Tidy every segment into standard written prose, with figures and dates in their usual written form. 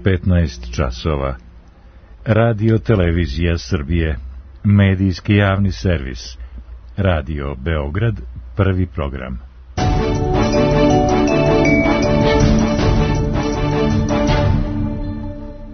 15 časova. Radio Televizija Srbije, medijski javni servis. Radio Beograd, prvi program.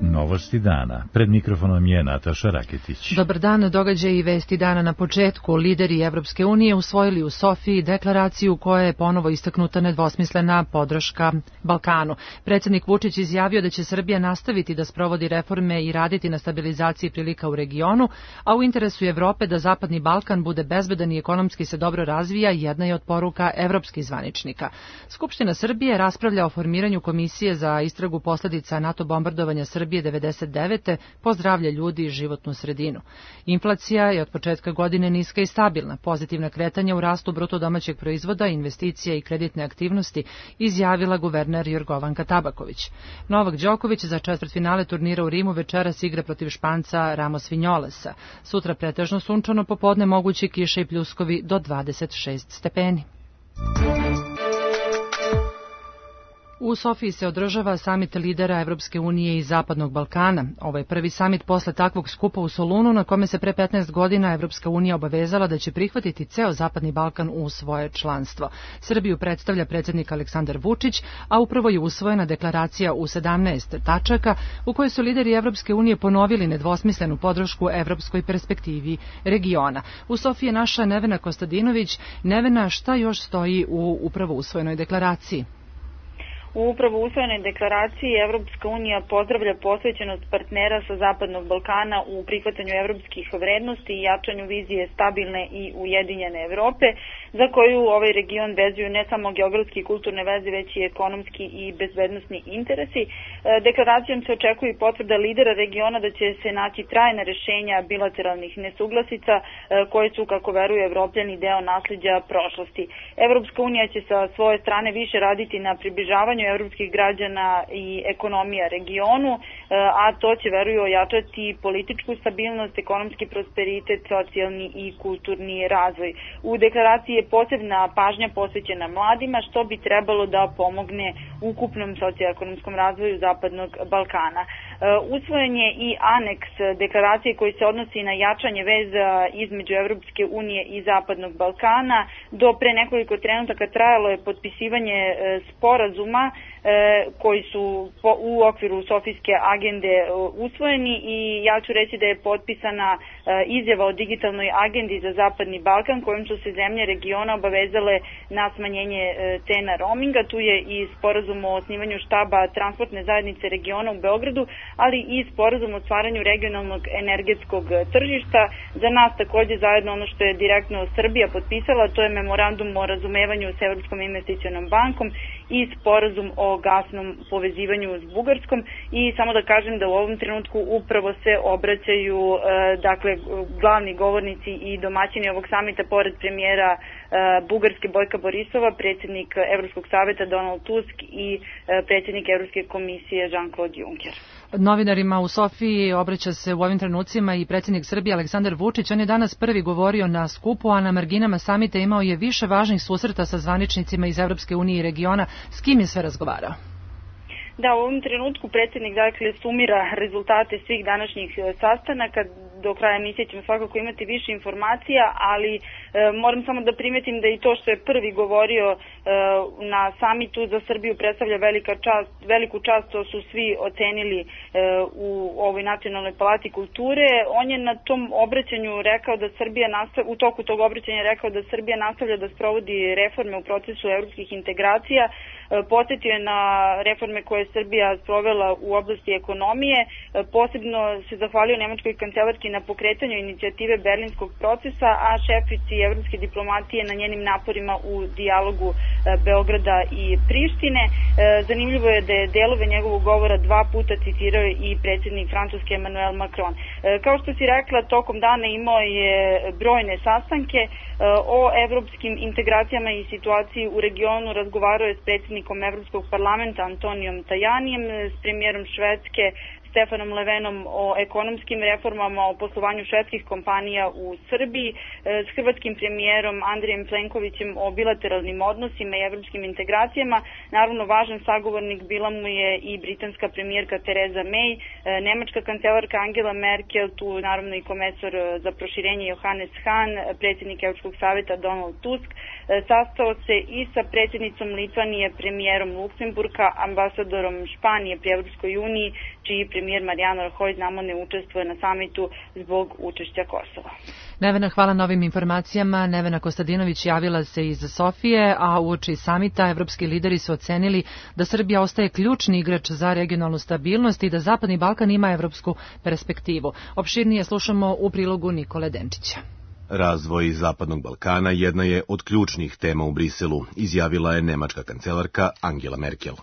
Novosti dana. Pred mikrofonom je Nataša Raketić. Dobar dan, događaji i vesti dana na početku. Lideri Evropske unije usvojili u Sofiji deklaraciju koja je ponovo istaknuta nedvosmislena podrška Balkanu. Predsjednik Vučić izjavio da će Srbija nastaviti da sprovodi reforme i raditi na stabilizaciji prilika u regionu, a u interesu Evrope da Zapadni Balkan bude bezbedan i ekonomski se dobro razvija jedna je od poruka evropskih zvaničnika. Skupština Srbije raspravlja o formiranju komisije za istragu posledica NATO bombardovanja Srbije 1999. po zdravlje ljudi i životnu sredinu. Inflacija je od početka godine niska i stabilna. Pozitivna kretanja u rastu bruto domaćeg proizvoda, investicija i kreditne aktivnosti izjavila guverner Jorgovanka Tabaković. Novak Đoković za četvrtfinale turnira u Rimu večeras igra protiv Španca Ramos Vinjolesa. Sutra pretežno sunčano, popodne mogući kiše i pljuskovi do 26 stepeni. U Sofiji se održava samit lidera Evropske unije i Zapadnog Balkana. Ovo je prvi samit posle takvog skupa u Solunu na kome se pre 15 godina Evropska unija obavezala da će prihvatiti ceo Zapadni Balkan u svoje članstvo. Srbiju predstavlja predsjednik Aleksandar Vučić, a upravo je usvojena deklaracija u 17 tačaka u kojoj su lideri Evropske unije ponovili nedvosmislenu podršku evropskoj perspektivi regiona. U Sofiji je naša Nevena Kostadinović. Nevena, šta još stoji u upravo usvojenoj deklaraciji? U upravo usvojenoj deklaraciji Evropska unija pozdravlja posvećenost partnera sa Zapadnog Balkana u prihvatanju evropskih vrednosti i jačanju vizije stabilne i ujedinjene Evrope, za koju ovaj region vezuju ne samo geografski i kulturne veze, već i ekonomski i bezbednosni interesi. Deklaracijom se očekuje i potvrda lidera regiona da će se naći trajna rešenja bilateralnih nesuglasica koje su, kako veruju Evropljani, deo nasleđa prošlosti. Evropska unija će sa svoje strane više raditi na približavanju evropskih građana i ekonomija regionu, a to će, veruju, ojačati političku stabilnost, ekonomski prosperitet, socijalni i kulturni razvoj. U deklaraciji je posebna pažnja posvećena mladima, što bi trebalo da pomogne ukupnom socioekonomskom razvoju Zapadnog Balkana. Usvojen je i aneks deklaracije koji se odnosi na jačanje veza između Evropske unije i Zapadnog Balkana. Do pre nekoliko trenutaka trajalo je potpisivanje sporazuma koji su u okviru Sofijske agende usvojeni i ja ću reći da je potpisana izjava o digitalnoj agendi za Zapadni Balkan kojom su se zemlje regiona obavezale na smanjenje cena roaminga. Tu je i sporazum o osnivanju štaba transportne zajednice regiona u Beogradu, ali i sporazum o stvaranju regionalnog energetskog tržišta. Za nas takođe zajedno ono što je direktno Srbija potpisala, to je memorandum o razumevanju s Evropskom investicionom bankom i sporazum o gasnom povezivanju s Bugarskom. I samo da kažem da u ovom trenutku upravo se obraćaju glavni govornici i domaćini ovog samita, pored premijera Bugarske Bojka Borisova, predsjednik Evropskog saveta Donald Tusk i predsjednik Evropske komisije Jean-Claude Juncker. Novinarima u Sofiji obraća se u ovim trenucima i predsjednik Srbije Aleksandar Vučić. On je danas prvi govorio na skupu, a na marginama samita imao je više važnih susreta sa zvaničnicima iz Evropske unije i regiona. S kim je sve razgovarao? Da, u ovom trenutku predsjednik sumira rezultate svih današnjih sastanaka. Do kraja emisije ćemo svakako imati više informacija, ali moram samo da primetim da i to što je prvi govorio na samitu za Srbiju predstavlja veliku čast, to su svi ocenili u ovoj Nacionalnoj palati kulture. On je na tom obraćanju rekao da u toku tog obraćanja rekao da Srbija nastavlja da sprovodi reforme u procesu evropskih integracija. Podsjetio je na reforme koje je Srbija sprovela u oblasti ekonomije. Posebno se zahvalio nemačkoj kancelarki na pokretanju inicijative Berlinskog procesa, a šefici evropske diplomatije na njenim naporima u dijalogu Beograda i Prištine. Zanimljivo je da je delove njegovog govora 2 puta citirao i predsjednik Francuske Emmanuel Macron. Kao što si rekla, tokom dana imao je brojne sastanke o evropskim integracijama i situaciji u regionu. Razgovarao je s predsjednikom Evropskog parlamenta Antonijom Tajanijem, s premijerom Švedske Stefanom Levenom o ekonomskim reformama, o poslovanju švedskih kompanija u Srbiji, s hrvatskim premijerom Andrijem Plenkovićem o bilateralnim odnosima i evropskim integracijama. Naravno, važan sagovornik bila mu je i britanska premijerka Theresa May, nemačka kancelarka Angela Merkel, tu naravno i komesar za proširenje Johannes Hahn, predsjednik Evropskog savjeta Donald Tusk, sastao se i sa predsjednicom Litvanije, premijerom Luksemburga, ambasadorom Španije pri Evropskoj uniji, čiji premijer Mariano Rajoy znamo ne učestvuje na samitu zbog učešća Kosova. Nevena, hvala na ovim informacijama. Nevena Kostadinović javila se iz Sofije, a uoči samita evropski lideri su ocenili da Srbija ostaje ključni igrač za regionalnu stabilnost i da Zapadni Balkan ima evropsku perspektivu. Opširnije slušamo u prilogu Nikole Denčića. Razvoj Zapadnog Balkana jedna je od ključnih tema u Briselu, izjavila je nemačka kancelarka Angela Merkel.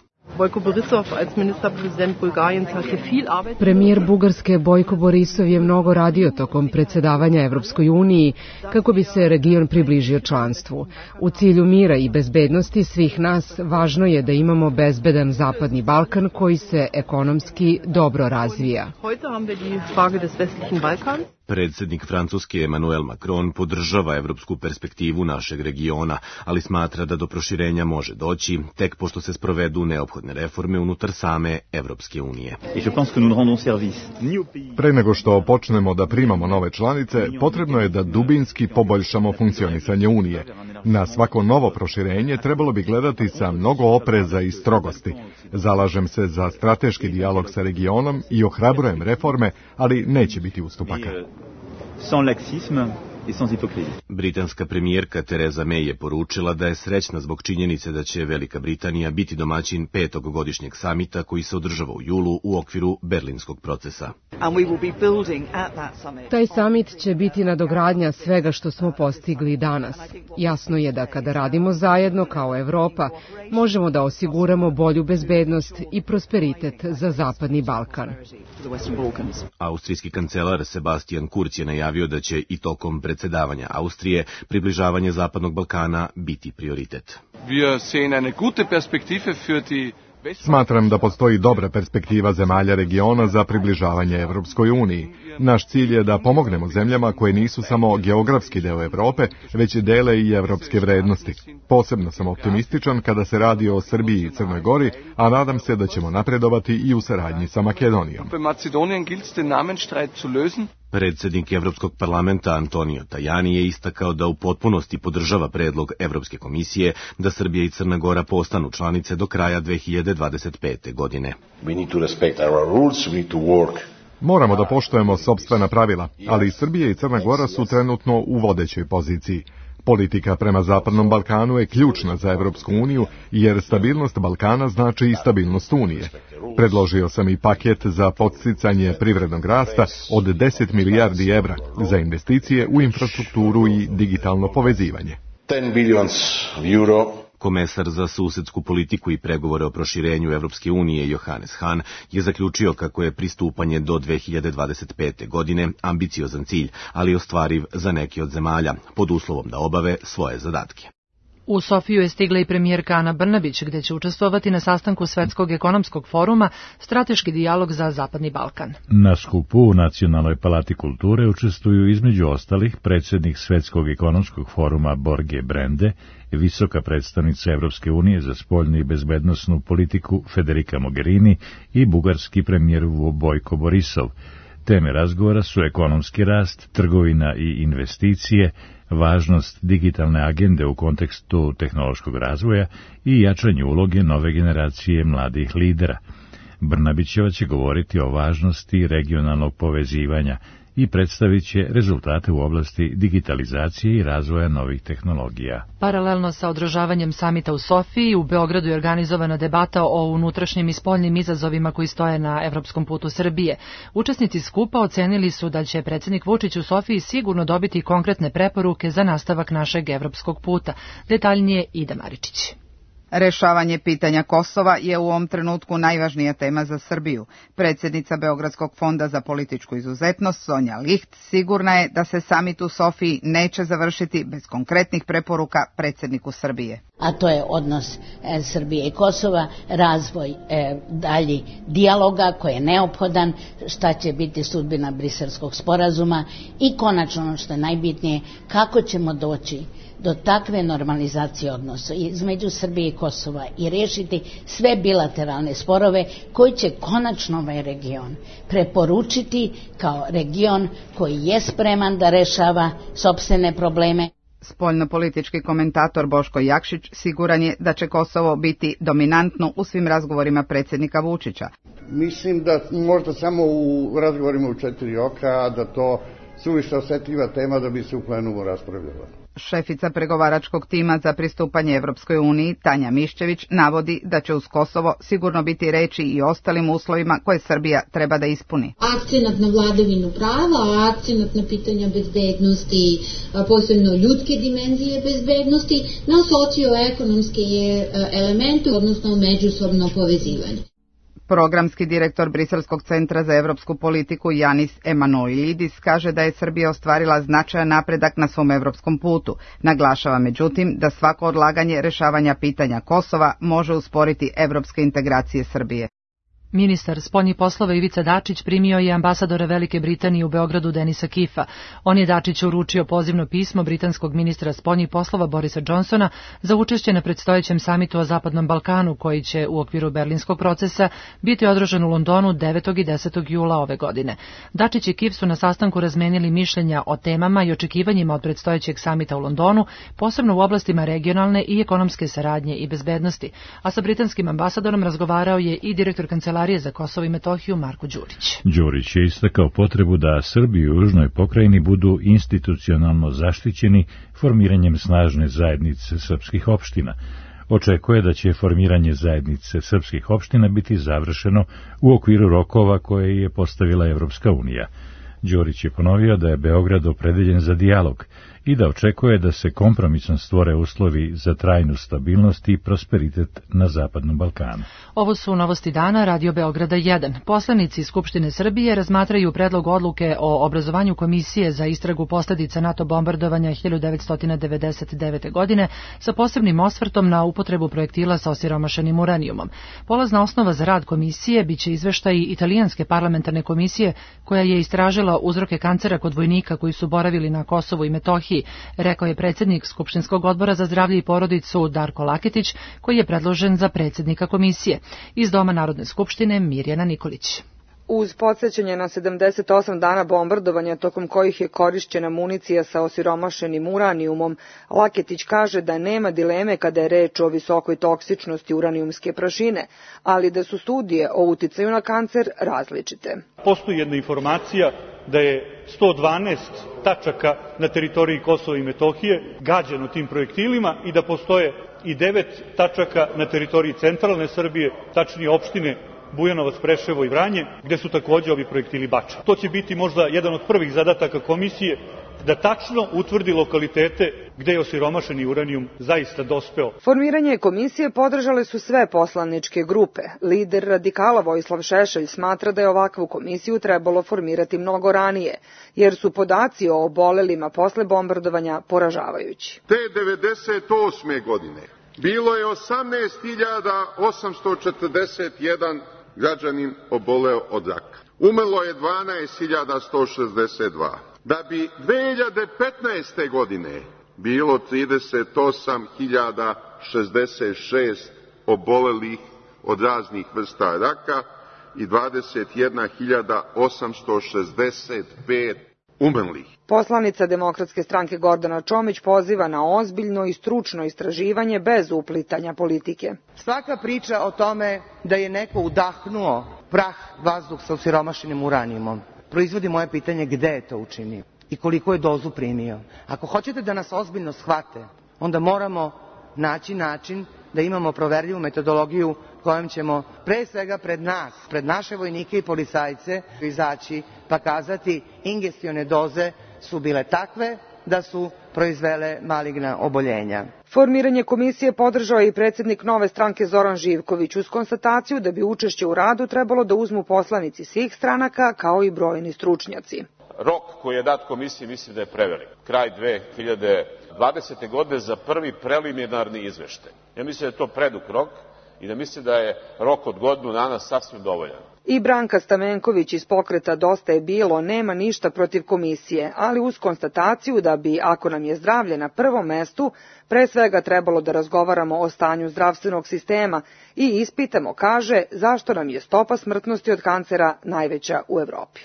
Premijer Bugarske Bojko Borisov je mnogo radio tokom predsjedavanja Evropskoj uniji kako bi se region približio članstvu. U cilju mira i bezbednosti svih nas važno je da imamo bezbedan Zapadni Balkan koji se ekonomski dobro razvija. Predsjednik Francuske Emmanuel Macron podržava evropsku perspektivu našeg regiona, ali smatra da do proširenja može doći tek pošto se sprovedu neophodne reforme unutar same Evropske unije. Pre nego što počnemo da primamo nove članice, potrebno je da dubinski poboljšamo funkcionisanje Unije. Na svako novo proširenje trebalo bi gledati sa mnogo opreza i strogosti. Zalažem se za strateški dijalog sa regionom i ohrabrujem reforme, ali neće biti ustupaka. Britanska premijerka Theresa May je poručila da je srećna zbog činjenice da će Velika Britanija biti domaćin 5. godišnjeg samita koji se održava u julu u okviru Berlinskog procesa. Taj samit će biti nadogradnja svega što smo postigli danas. Jasno je da kada radimo zajedno kao Evropa, možemo da osiguramo bolju bezbednost i prosperitet za Zapadni Balkan. Austrijski kancelar Sebastian Kurz je najavio da će i tokom predsjedavanja Austrije približavanje Zapadnog Balkana biti prioritet. Smatram da postoji dobra perspektiva zemalja regiona za približavanje Evropskoj uniji. Naš cilj je da pomognemo zemljama koje nisu samo geografski deo Evrope, već dele i evropske vrednosti. Posebno sam optimističan kada se radi o Srbiji i Crnoj Gori, a nadam se da ćemo napredovati i u saradnji sa Makedonijom. Predsjednik Evropskog parlamenta Antonio Tajani je istakao da u potpunosti podržava predlog Evropske komisije da Srbija i Crna Gora postanu članice do kraja 2025. godine. Moramo da poštujemo sopstvena pravila, ali i Srbija i Crna Gora su trenutno u vodećoj poziciji. Politika prema Zapadnom Balkanu je ključna za Evropsku uniju, jer stabilnost Balkana znači i stabilnost Unije. Predložio sam i paket za podsticanje privrednog rasta od 10 milijardi evra za investicije u infrastrukturu i digitalno povezivanje. 10 billion euro. Komesar za susedsku politiku i pregovore o proširenju Evropske unije Johannes Hahn je zaključio kako je pristupanje do 2025. godine ambiciozan cilj, ali ostvariv za neke od zemalja, pod uslovom da obave svoje zadatke. U Sofiju je stigla i premijerka Ana Brnabić, gde će učestvovati na sastanku Svetskog ekonomskog foruma Strateški dijalog za Zapadni Balkan. Na skupu u Nacionalnoj palati kulture učestvuju između ostalih predsjednik Svetskog ekonomskog foruma Borge Brende, visoka predstavnica Evropske unije za spoljnu i bezbednosnu politiku Federica Mogherini i bugarski premijer Bojko Borisov. Teme razgovora su ekonomski rast, trgovina i investicije, važnost digitalne agende u kontekstu tehnološkog razvoja i jačanje uloge nove generacije mladih lidera. Brnabićeva će govoriti o važnosti regionalnog povezivanja i predstavit će rezultate u oblasti digitalizacije i razvoja novih tehnologija. Paralelno sa održavanjem samita u Sofiji, u Beogradu je organizovana debata o unutrašnjim i spoljnim izazovima koji stoje na evropskom putu Srbije. Učesnici skupa ocenili su da će predsjednik Vučić u Sofiji sigurno dobiti konkretne preporuke za nastavak našeg evropskog puta. Detaljnije Ida Maričić. Rešavanje pitanja Kosova je u ovom trenutku najvažnija tema za Srbiju. Predsjednica Beogradskog fonda za političku izuzetnost Sonja Licht sigurna je da se samit u Sofiji neće završiti bez konkretnih preporuka predsjedniku Srbije. A to je odnos Srbije i Kosova, razvoj dalji dijaloga koji je neophodan, šta će biti sudbina Briselskog sporazuma i konačno ono što je najbitnije, kako ćemo doći do takve normalizacije odnosa između Srbije i Kosova i rešiti sve bilateralne sporove koji će konačno ovaj region preporučiti kao region koji je spreman da rešava sopstvene probleme. Spoljnopolitički komentator Boško Jakšić siguran je da će Kosovo biti dominantno u svim razgovorima predsjednika Vučića. Mislim da možda samo u razgovorima u 4 oka, a da to suviše osetljiva tema da bi se u plenumu raspravljala. Šefica pregovaračkog tima za pristupanje Evropskoj uniji, Tanja Miščević, navodi da će uz Kosovo sigurno biti reči i ostalim uslovima koje Srbija treba da ispuni. Akcenat na vladavinu prava, akcenat na pitanja bezbednosti, posebno ljudske dimenzije bezbednosti, na socioekonomske elemente, odnosno međusobno povezivanje. Programski direktor Briselskog centra za evropsku politiku Janis Emanuilidis kaže da je Srbija ostvarila značajan napredak na svom evropskom putu. Naglašava međutim da svako odlaganje rešavanja pitanja Kosova može usporiti evropske integracije Srbije. Ministar spoljnih poslova Ivica Dačić primio je ambasadora Velike Britanije u Beogradu Denisa Kifa. On je Dačiću uručio pozivno pismo britanskog ministra spoljnih poslova Borisa Johnsona za učešće na predstojećem samitu o Zapadnom Balkanu, koji će u okviru berlinskog procesa biti održan u Londonu 9. i 10. jula ove godine. Dačić i Kif su na sastanku razmenili mišljenja o temama i očekivanjima od predstojećeg samita u Londonu, posebno u oblastima regionalne i ekonomske saradnje i bezbednosti. A sa britanskim ambasadorom razgovarao je i direktor Kancelarije za Kosovo i Metohiju Marko Đurić. Đurić je istakao potrebu da Srbi u južnoj pokrajini budu institucionalno zaštićeni formiranjem snažne zajednice srpskih opština. Očekuje da će formiranje zajednice srpskih opština biti završeno u okviru rokova koje je postavila Evropska unija. Đurić je ponovio da je Beograd opredeljen za dijalog i da očekuje da se kompromisno stvore uslovi za trajnu stabilnost i prosperitet na Zapadnom Balkanu. Ovo su novosti dana Radio Beograda 1. Poslanici Skupštine Srbije razmatraju predlog odluke o obrazovanju komisije za istragu posledica NATO bombardovanja 1999. godine sa posebnim osvrtom na upotrebu projektila sa osiromašenim uranijumom. Polazna osnova za rad komisije biće izveštaj italijanske parlamentarne komisije koja je istražila uzroke kancera kod vojnika koji su boravili na Kosovu i Metohiji, rekao je predsjednik Skupštinskog odbora za zdravlje i porodicu Darko Laketić, koji je predložen za predsjednika komisije. Iz Doma Narodne skupštine Mirjana Nikolić. Uz podsjećanje na 78 dana bombardovanja tokom kojih je korišćena municija sa osiromašenim uranijumom, Laketić kaže da nema dileme kada je reč o visokoj toksičnosti uranijumske prašine, ali da su studije o uticaju na kancer različite. Postoji jedna informacija da je 112 tačaka na teritoriji Kosova i Metohije gađano tim projektilima i da postoje i 9 tačaka na teritoriji centralne Srbije, tačnije opštine Bujanovac, Preševo i Vranje, gde su takođe ovi projektili bačeni. To će biti možda jedan od prvih zadataka komisije, da tačno utvrdi lokalitete gde je osiromašeni uranijum zaista dospeo. Formiranje komisije podržale su sve poslaničke grupe. Lider radikala Vojislav Šešelj smatra da je ovakvu komisiju trebalo formirati mnogo ranije, jer su podaci o obolelima posle bombardovanja poražavajući. Te 98. godine bilo je 18.841 građanin oboleo od raka. Umrlo je 12.162. Da bi 2015. godine bilo 38.066 obolelih od raznih vrsta raka i 21.865 umrlih. Poslanica Demokratske stranke Gordana Čomić poziva na ozbiljno i stručno istraživanje bez uplitanja politike. Svaka priča o tome da je neko udahnuo prah vazduh sa osiromašenim uranijumom proizvodi moje pitanje gde je to učinio i koliko je dozu primio. Ako hoćete da nas ozbiljno shvate, onda moramo naći način da imamo proverljivu metodologiju kojom ćemo pre svega pred nas, pred naše vojnike i policajce izaći pa kazati ingestione doze su bile takve da su proizvele maligna oboljenja. Formiranje komisije podržao je i predsjednik Nove stranke Zoran Živković uz konstataciju da bi učešće u radu trebalo da uzmu poslanici svih stranaka kao i brojni stručnjaci. Rok koji je dat komisiji mislim da je prevelik. Kraj 2020. godine za prvi preliminarni izveštaj. Ja mislim da je to predug rok i da mislim da je rok od godinu dana sasvim dovoljan. I Branka Stamenković iz pokreta Dosta je bilo nema ništa protiv komisije, ali uz konstataciju da bi, ako nam je zdravlje na prvom mestu, pre svega trebalo da razgovaramo o stanju zdravstvenog sistema i ispitamo, kaže, zašto nam je stopa smrtnosti od kancera najveća u Evropi.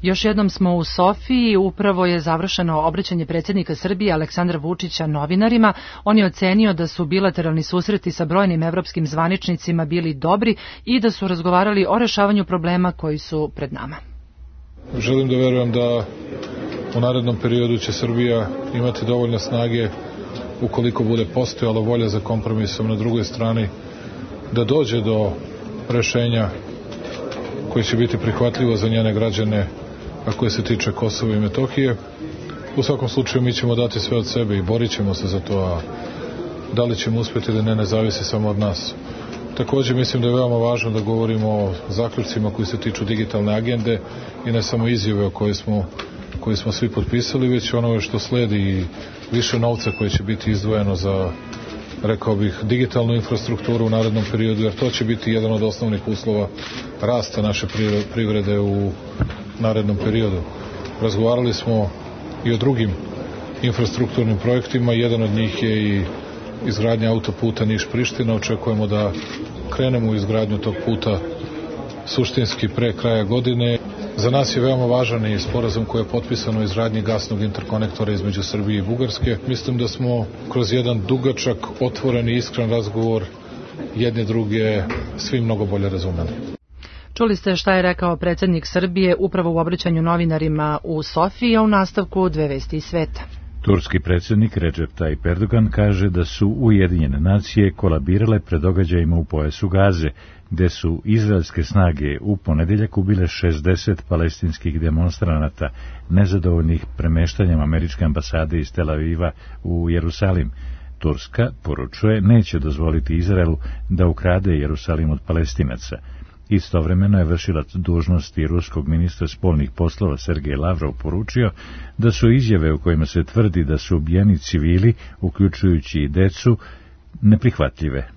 Još jednom smo u Sofiji, upravo je završeno obraćanje predsjednika Srbije Aleksandra Vučića novinarima. On je ocenio da su bilateralni susreti sa brojnim evropskim zvaničnicima bili dobri i da su razgovarali o rešavanju problema koji su pred nama. Želim da verujem da u narednom periodu će Srbija imati dovoljno snage, ukoliko bude postojala volja za kompromisom na drugoj strani, da dođe do rešenja koje će biti prihvatljivo za njene građane, a koje se tiče Kosova i Metohije. U svakom slučaju mi ćemo dati sve od sebe i borit ćemo se za to, a da li ćemo uspjeti da ne zavisi samo od nas. Također mislim da je veoma važno da govorimo o zaključcima koji se tiču digitalne agende i ne samo izjave o koje smo svi potpisali, već ono što sledi i više novca koje će biti izdvojeno za, rekao bih, digitalnu infrastrukturu u narednom periodu, jer to će biti jedan od osnovnih uslova rasta naše privrede u narednom periodu. Razgovarali smo i o drugim infrastrukturnim projektima, jedan od njih je i izgradnja autoputa Niš-Priština. Očekujemo da krenemo u izgradnju tog puta suštinski pre kraja godine. Za nas je veoma važan i sporazum koji je potpisan o izgradnji gasnog interkonektora između Srbije i Bugarske. Mislim da smo kroz jedan dugačak, otvoren i iskren razgovor jedne druge svi mnogo bolje razumeli. Čuli ste šta je rekao predsjednik Srbije upravo u obraćanju novinarima u Sofiji, a u nastavku dve vesti iz sveta. Turski predsjednik Recep Tayyip Erdogan kaže da su Ujedinjene nacije kolabirale pred događajima u pojasu Gaze, gde su izraelske snage u ponedeljak ubile 60 palestinskih demonstranata nezadovoljnih premeštanjem američke ambasade iz Tel Aviva u Jerusalim. Turska, poručuje, neće dozvoliti Izraelu da ukrade Jerusalim od Palestinaca. Istovremeno je vršilac dužnosti ruskog ministra spoljnih poslova Sergej Lavrov poručio da su izjave u kojima se tvrdi da su ubijeni civili, uključujući i decu, neprihvatljive.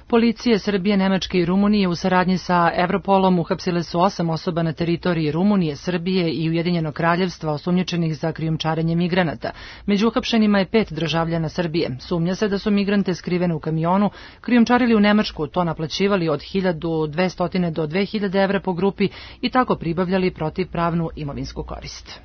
Policije Srbije, Nemačke i Rumunije u saradnji sa Europolom uhapsile su 8 osoba na teritoriji Rumunije, Srbije i Ujedinjenog kraljevstva osumnjičenih za krijumčarenje migranata. Među uhapšenima je 5 državljana Srbije. Sumnja se da su migrante skrivene u kamionu krijumčarili u Nemačku, to naplaćivali od 1200 do 2000 evra po grupi i tako pribavljali protivpravnu imovinsku korist.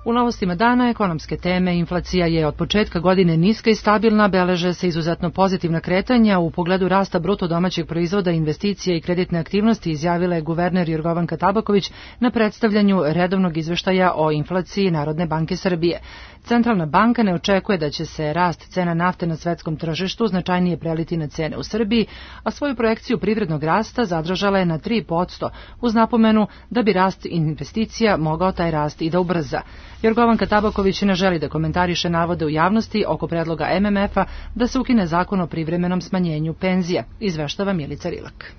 U novostima dana ekonomske teme inflacija je od početka godine niska i stabilna, beleže se izuzetno pozitivna kretanja u pogledu rasta bruto domaćeg proizvoda, investicija i kreditne aktivnosti, izjavila je guverner Jorgovanka Tabaković na predstavljanju redovnog izveštaja o inflaciji Narodne banke Srbije. Centralna banka ne očekuje da će se rast cena nafte na svetskom tržištu značajnije preliti na cene u Srbiji, a svoju projekciju privrednog rasta zadržala je na 3%, uz napomenu da bi rast investicija mogao taj rast i da ubrza. Jorgovanka Tabaković ne želi da komentariše navode u javnosti oko predloga MMF-a da se ukine zakon o privremenom smanjenju penzija, izveštava Milica Rilak.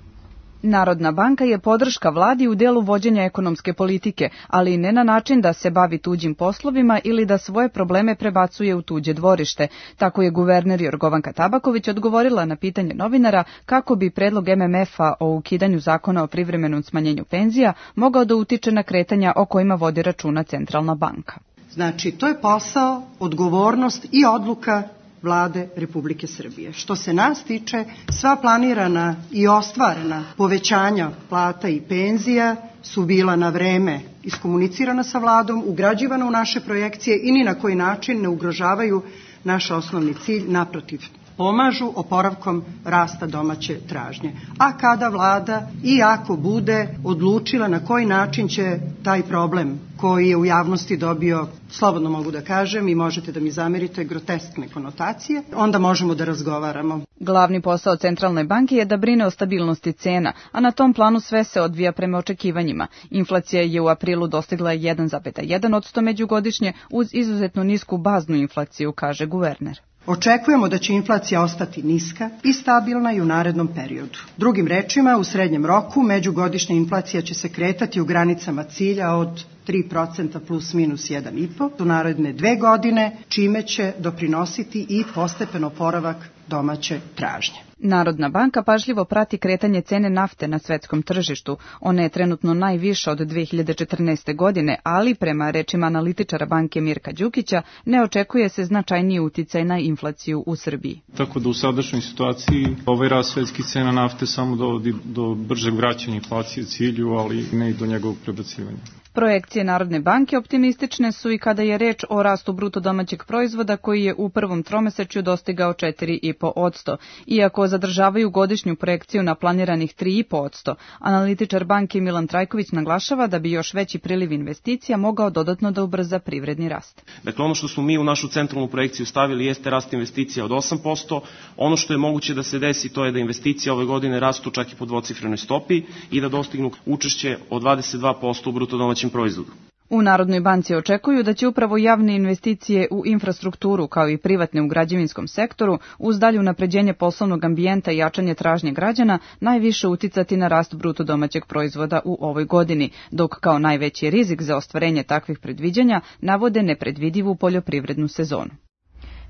Narodna banka je podrška vladi u delu vođenja ekonomske politike, ali ne na način da se bavi tuđim poslovima ili da svoje probleme prebacuje u tuđe dvorište. Tako je guverner Jorgovanka Tabaković odgovorila na pitanje novinara kako bi predlog MMF-a o ukidanju zakona o privremenom smanjenju penzija mogao da utiče na kretanja o kojima vodi računa Centralna banka. Znači, to je posao, odgovornost i odluka Vlade Republike Srbije. Što se nas tiče, sva planirana i ostvarena povećanja plata i penzija su bila na vreme iskomunicirana sa vladom, ugrađivana u naše projekcije i ni na koji način ne ugrožavaju naš osnovni cilj, naprotiv. pomažu oporavkom rasta domaće tražnje. A kada vlada i ako bude odlučila na koji način će taj problem koji je u javnosti dobio, slobodno mogu da kažem i možete da mi zamerite, groteskne konotacije, onda možemo da razgovaramo. Glavni posao Centralne banke je da brine o stabilnosti cena, a na tom planu sve se odvija prema očekivanjima. Inflacija je u aprilu dostigla 1,1% međugodišnje uz izuzetno nisku baznu inflaciju, kaže guverner. Očekujemo da će inflacija ostati niska i stabilna i u narednom periodu. Drugim rečima, u srednjem roku međugodišnja inflacija će se kretati u granicama cilja od 3% plus minus 1,5% u naredne 2 godine, čime će doprinositi i postepen oporavak domaće tražnje. Narodna banka pažljivo prati kretanje cene nafte na svetskom tržištu. Ona je trenutno najviša od 2014. godine, ali prema rečima analitičara banke Mirka Đukića ne očekuje se značajniji uticaj na inflaciju u Srbiji. Tako da u sadašnjoj situaciji ovaj rast svetskih cena nafte samo dovodi do bržeg vraćanja inflacije cilju, ali ne i do njegovog prebacivanja. Projekcije Narodne banke optimistične su i kada je reč o rastu bruto domaćeg proizvoda koji je u prvom tromesečju dostigao 4,5%. Iako zadržavaju godišnju projekciju na planiranih 3,5%, analitičar banke Milan Trajković naglašava da bi još veći priliv investicija mogao dodatno da ubrza privredni rast. Dakle, ono što smo mi u našu centralnu projekciju stavili jeste rast investicija od 8%. Ono što je moguće da se desi to je da investicije ove godine rastu čak i po dvocifrenoj stopi i da dostignu učešće od 22% u bruto domaćem proizvodu. U Narodnoj banci očekuju da će upravo javne investicije u infrastrukturu kao i privatne u građevinskom sektoru uz dalje unapređenje poslovnog ambijenta i jačanje tražnje građana najviše uticati na rast bruto domaćeg proizvoda u ovoj godini, dok kao najveći rizik za ostvarenje takvih predviđanja navode nepredvidivu poljoprivrednu sezonu.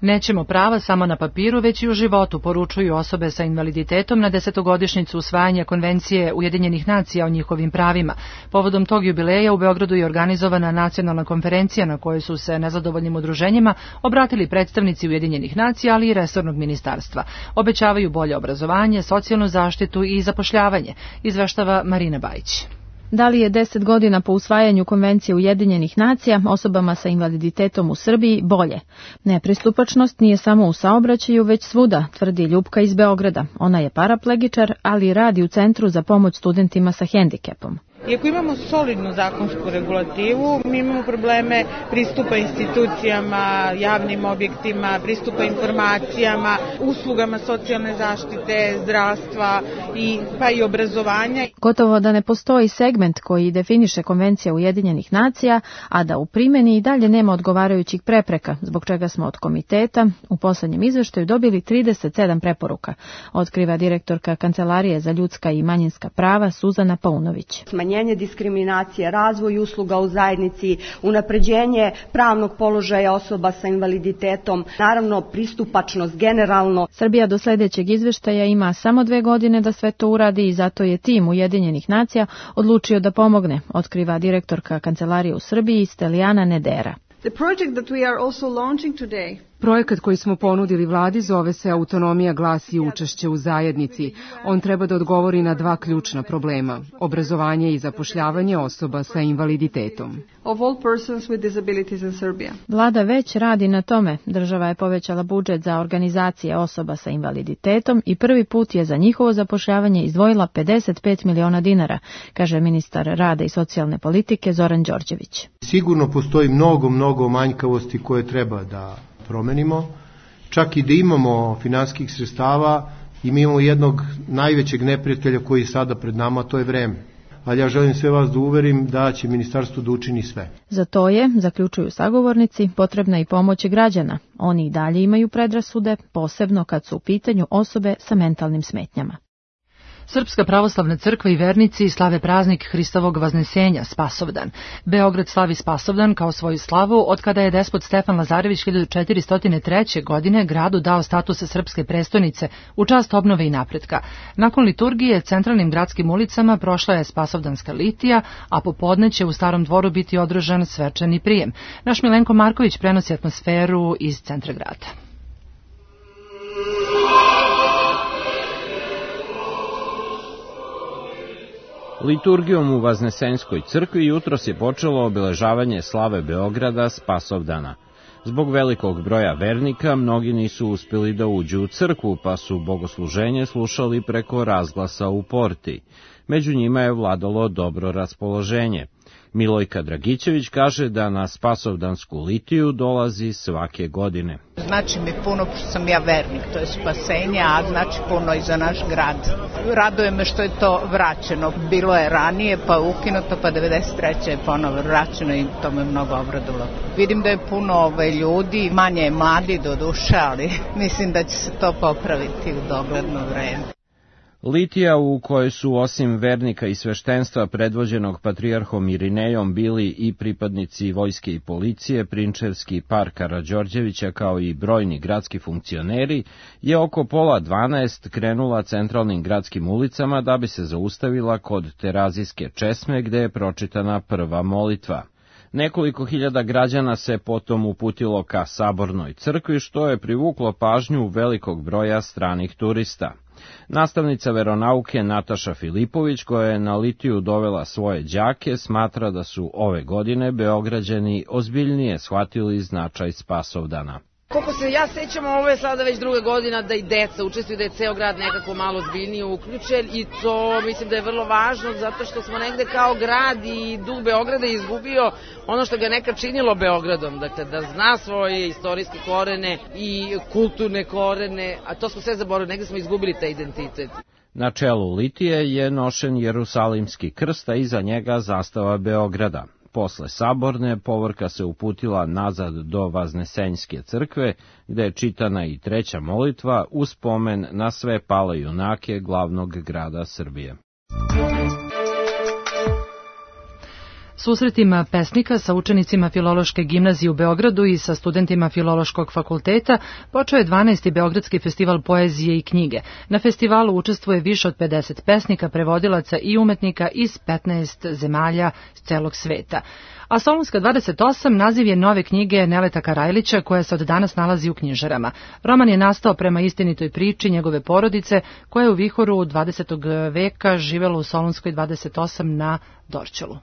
Nećemo prava samo na papiru, već i u životu, poručuju osobe sa invaliditetom na 10-godišnjicu usvajanja Konvencije Ujedinjenih nacija o njihovim pravima. Povodom tog jubileja u Beogradu je organizovana nacionalna konferencija na kojoj su se nezadovoljnim udruženjima obratili predstavnici Ujedinjenih nacija, ali i resornog ministarstva. Obećavaju bolje obrazovanje, socijalnu zaštitu i zapošljavanje, izveštava Marina Bajić. Da li je 10 godina po usvajanju Konvencije Ujedinjenih nacija osobama sa invaliditetom u Srbiji bolje? Nepristupačnost nije samo u saobraćaju, već svuda, tvrdi Ljupka iz Beograda. Ona je paraplegičar, ali radi u Centru za pomoć studentima sa hendikepom. Iako imamo solidnu zakonsku regulativu, mi imamo probleme pristupa institucijama, javnim objektima, pristupa informacijama, uslugama socijalne zaštite, zdravstva pa i obrazovanja. Gotovo da ne postoji segment koji definiše Konvencija Ujedinjenih nacija, a da u primjeni i dalje nema odgovarajućih prepreka, zbog čega smo od komiteta u poslednjem izveštaju dobili 37 preporuka, otkriva direktorka Kancelarije za ljudska i manjinska prava Suzana Paunović. Smanjenje diskriminacije, razvoj usluga u zajednici, unapređenje pravnog položaja osoba sa invaliditetom, naravno pristupačnost generalno. Srbija do sledećeg izveštaja ima samo 2 godine da sve to uradi i zato je tim Ujedinjenih nacija odlučio da pomogne, otkriva direktorka Kancelarije u Srbiji Stelijana Nedera. The project that we are also launching today. Projekat koji smo ponudili vladi zove se Autonomija, glas i učešće u zajednici. On treba da odgovori na 2 ključna problema: obrazovanje i zapošljavanje osoba sa invaliditetom. Of all persons with disabilities in Serbia. Vlada već radi na tome. Država je povećala budžet za organizacije osoba sa invaliditetom i prvi put je za njihovo zapošljavanje izdvojila 55 miliona dinara, kaže ministar rada i socijalne politike Zoran Đorđević. Sigurno postoji mnogo manjkavosti koje treba da promenimo. Čak i da imamo finansijskih sredstava, imamo jednog najvećeg neprijatelja koji je sada pred nama, to je vreme. Ali ja želim sve vas da uverim da će ministarstvo da učini sve. Za to je, zaključuju sagovornici, potrebna i pomoć građana. Oni i dalje imaju predrasude, posebno kad su u pitanju osobe sa mentalnim smetnjama. Srpska pravoslavna crkva i vernici slave praznik Hristovog Vaznesenja, Spasovdan. Beograd slavi Spasovdan kao svoju slavu od kada je despot Stefan Lazarević 1403. godine gradu dao status srpske prestonice u čast obnove i napretka. Nakon liturgije centralnim gradskim ulicama prošla je Spasovdanska litija, a popodne će u Starom dvoru biti održan svečani prijem. Naš Milenko Marković prenosi atmosferu iz centra grada. Liturgijom u Vaznesenjskoj crkvi jutros je počelo obeležavanje slave Beograda Spasovdana. Zbog velikog broja vernika, mnogi nisu uspjeli da uđu u crkvu, pa su bogosluženje slušali preko razglasa u porti. Među njima je vladalo dobro raspoloženje. Milojka Dragićević kaže da na Spasovdansku litiju dolazi svake godine. Znači mi puno, što sam ja vernik, to je spasenje, a znači puno i za naš grad. Raduje me što je to vraćeno. Bilo je ranije, pa ukinuto, pa 93. je ponovo vraćeno i to me mnogo obradilo. Vidim da je puno ljudi, manje je mladi do duše, ali mislim da će se to popraviti u dogledno vreme. Litija, u kojoj su osim vernika i sveštenstva predvođenog patrijarhom Irinejom bili i pripadnici vojske i policije, prinčevski par Karađorđevića kao i brojni gradski funkcioneri, je oko 11:30 krenula centralnim gradskim ulicama da bi se zaustavila kod Terazijske česme gde je pročitana prva molitva. Nekoliko hiljada građana se potom uputilo ka Sabornoj crkvi, što je privuklo pažnju velikog broja stranih turista. Nastavnica veronauke Nataša Filipović, koja je na litiju dovela svoje đake, smatra da su ove godine Beograđani ozbiljnije shvatili značaj Spasovdana. Koliko se ja sećam, ovo je sada već druga godina da i deca učestvuju, da je ceo grad nekako malo ozbiljnije uključen i to mislim da je vrlo važno zato što smo negde kao grad i duh Beograda izgubio ono što ga nekad činilo Beogradom, dakle da zna svoje istorijske korene i kulturne korene, a to smo sve zaboravili, negde smo izgubili taj identitet. Na čelu litije je nošen Jerusalimski krst, a iza njega zastava Beograda. Posle Saborne povorka se uputila nazad do Vaznesenjske crkve, gde je čitana i treća molitva u spomen na sve pale junake glavnog grada Srbije. Susretima pesnika sa učenicima Filološke gimnazije u Beogradu i sa studentima Filološkog fakulteta počeo je 12. Beogradski festival poezije i knjige. Na festivalu učestvuje više od 50 pesnika, prevodilaca i umetnika iz 15 zemalja s celog sveta. A Solunska 28 naziv je nove knjige Neleta Karajlića koja se od danas nalazi u knjižarama. Roman je nastao prema istinitoj priči njegove porodice koja je u vihoru 20. veka živela u Solunskoj 28 na Dorćolu.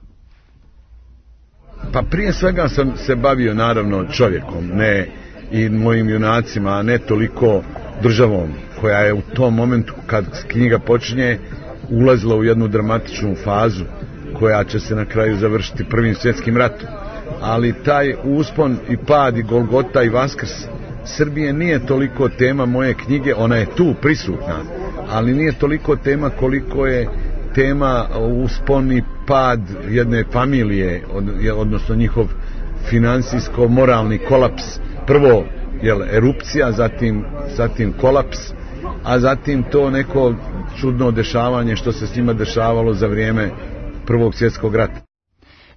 Pa prije svega sam se bavio naravno čovjekom, ne i mojim junacima, a ne toliko državom koja je u tom momentu kad knjiga počinje ulazila u jednu dramatičnu fazu koja će se na kraju završiti Prvim svjetskim ratom. Ali taj uspon i pad i Golgota i Vaskrs Srbije nije toliko tema moje knjige, ona je tu prisutna, ali nije toliko tema koliko je tema uspon i pad jedne familije, odnosno njihov finansijsko-moralni kolaps. Prvo erupcija, zatim kolaps, a zatim to neko čudno dešavanje što se s njima dešavalo za vrijeme Prvog svjetskog rata.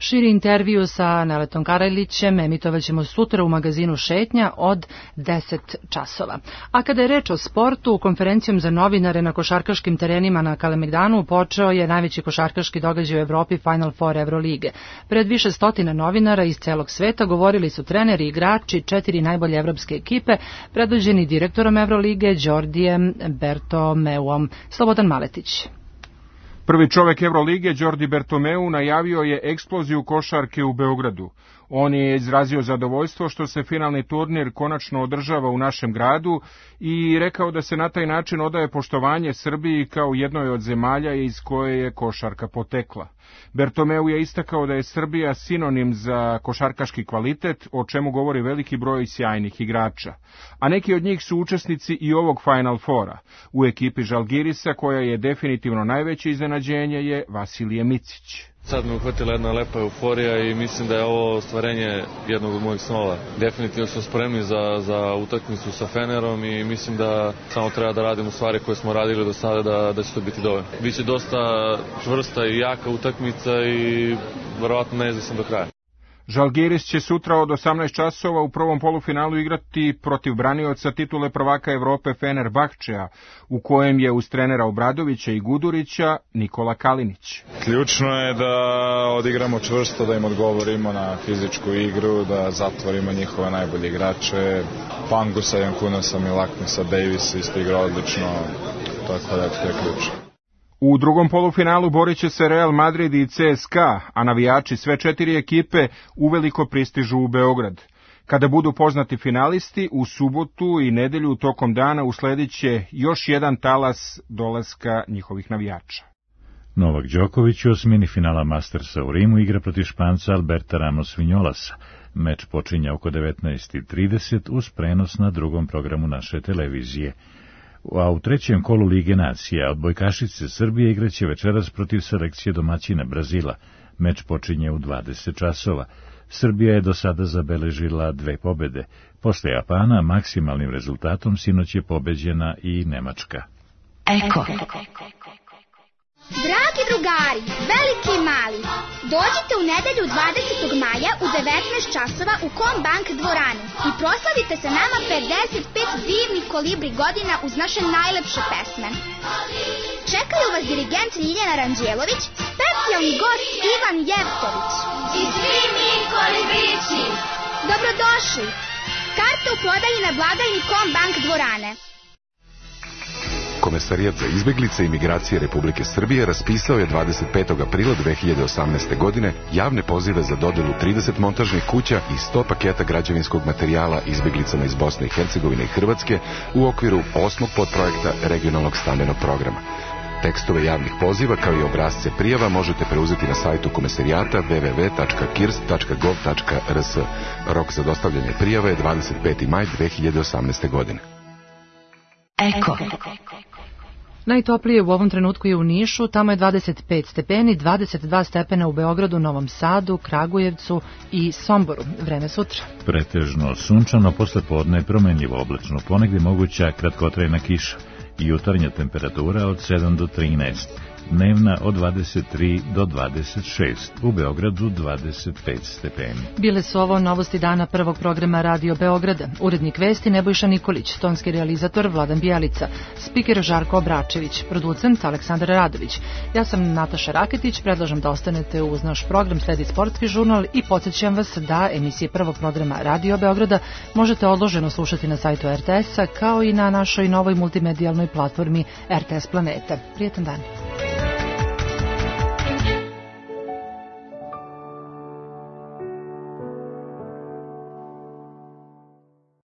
Širi intervju sa Neletom Karajlićem emitovaćemo sutra u magazinu Šetnja od 10 časova. A kada je reč o sportu, konferencijom za novinare na košarkaškim terenima na Kalemegdanu počeo je najveći košarkaški događaj u Evropi Final Four Evrolige. Pred više stotina novinara iz celog sveta govorili su treneri i igrači 4 najbolje evropske ekipe, predvođeni direktorom Evrolige Đordijem Bertomeuom. Slobodan Maletić. Prvi čovek Evrolige, Đordi Bertomeu, najavio je eksploziju košarke u Beogradu. On je izrazio zadovoljstvo što se finalni turnir konačno održava u našem gradu i rekao da se na taj način odaje poštovanje Srbiji kao jednoj od zemalja iz koje je košarka potekla. Bertomeu je istakao da je Srbija sinonim za košarkaški kvalitet, o čemu govori veliki broj sjajnih igrača. A neki od njih su učesnici i ovog Final Fora. U ekipi Žalgirisa, koja je definitivno najveće iznenađenje, je Vasilije Micić. Sad me uhvatila jedna lepa euforija i mislim da je ovo ostvarenje jednog od mojih snova. Definitivno smo spremni za utakmicu sa Fenerom i mislim da samo treba da radimo stvari koje smo radili do sada da će to biti dovoljno. Biće dosta čvrsta i jaka utakmica i verovatno neizvesna do kraja. Žalgiris će sutra od 18 časova u prvom polufinalu igrati protiv branioca titule prvaka Evrope Fenerbahčeja, u kojem je uz trenera Obradovića i Gudurića Nikola Kalinić. Ključno je da odigramo čvrsto, da im odgovorimo na fizičku igru, da zatvorimo njihove najbolje igrače. Pangusa, Jankunasa, Milaknisa, Davis isto igra odlično, tako da to je ključno. U drugom polufinalu borit će se Real Madrid i CSKA, a navijači sve 4 ekipe uveliko pristižu u Beograd. Kada budu poznati finalisti, u subotu i nedelju tokom dana usledit će još jedan talas dolaska njihovih navijača. Novak Đoković u osmini finala Mastersa u Rimu igra protiv Španca Alberta Ramos Vinolasa. Meč počinja oko 19:30 uz prenos na drugom programu naše televizije. A u trećem kolu Lige nacija odbojkašice Srbije igraće večeras protiv selekcije domaćina Brazila. Meč počinje u 20 časova. Srbija je do sada zabeležila 2 pobede. Posle Japana maksimalnim rezultatom sinoć je pobeđena i Nemačka. Eko. Dragi drugari, veliki i mali, dođite u nedelju 20. maja u 19 časova u Combank dvoranu i proslavite sa nama 55 divnih kolibri godina uz naše najlepše pesme. Čekaju vas dirigent Ljiljana Ranđelović, specijalni gost Ivan Jevtović. I svi mi kolibrići! Dobrodošli! Karte u prodaji na blagajni Combank dvorane. Komesarijat za izbeglice i migracije Republike Srbije raspisao je 25. aprila 2018. godine javne pozive za dodelu 30 montažnih kuća i 100 paketa građevinskog materijala izbeglicama iz Bosne i Hercegovine i Hrvatske u okviru 8. podprojekta regionalnog stambenog programa. Tekstove javnih poziva kao i obrazce prijava možete preuzeti na sajtu komesarijata www.kirs.gov.rs. Rok za dostavljanje prijava je 25. maj 2018. godine. Eko. Najtoplije u ovom trenutku je u Nišu, tamo je 25 stepeni, 22 stepena u Beogradu, Novom Sadu, Kragujevcu i Somboru. Vreme sutra. Pretežno sunčano, posle podne promenljivo oblačno, ponegdje moguća kratkotrajna kiša. Jutarnja temperatura od 7 do 13, dnevna od 23 do 26, u Beogradu 25 stepeni. Bile su ovo novosti dana prvog programa Radio Beograda. Urednik vesti Nebojša Nikolić, tonski realizator Vladan Bijelica, spiker Žarko Obračević, producent Aleksandar Radović. Ja sam Nataša Raketić, predlažem da ostanete uz naš program, sledi sportski žurnal i podsjećam vas da emisije prvog programa Radio Beograda možete odloženo slušati na sajtu RTS-a kao i na našoj novoj multimedijalnoj platformi RTS Planeta. Prijetan dan.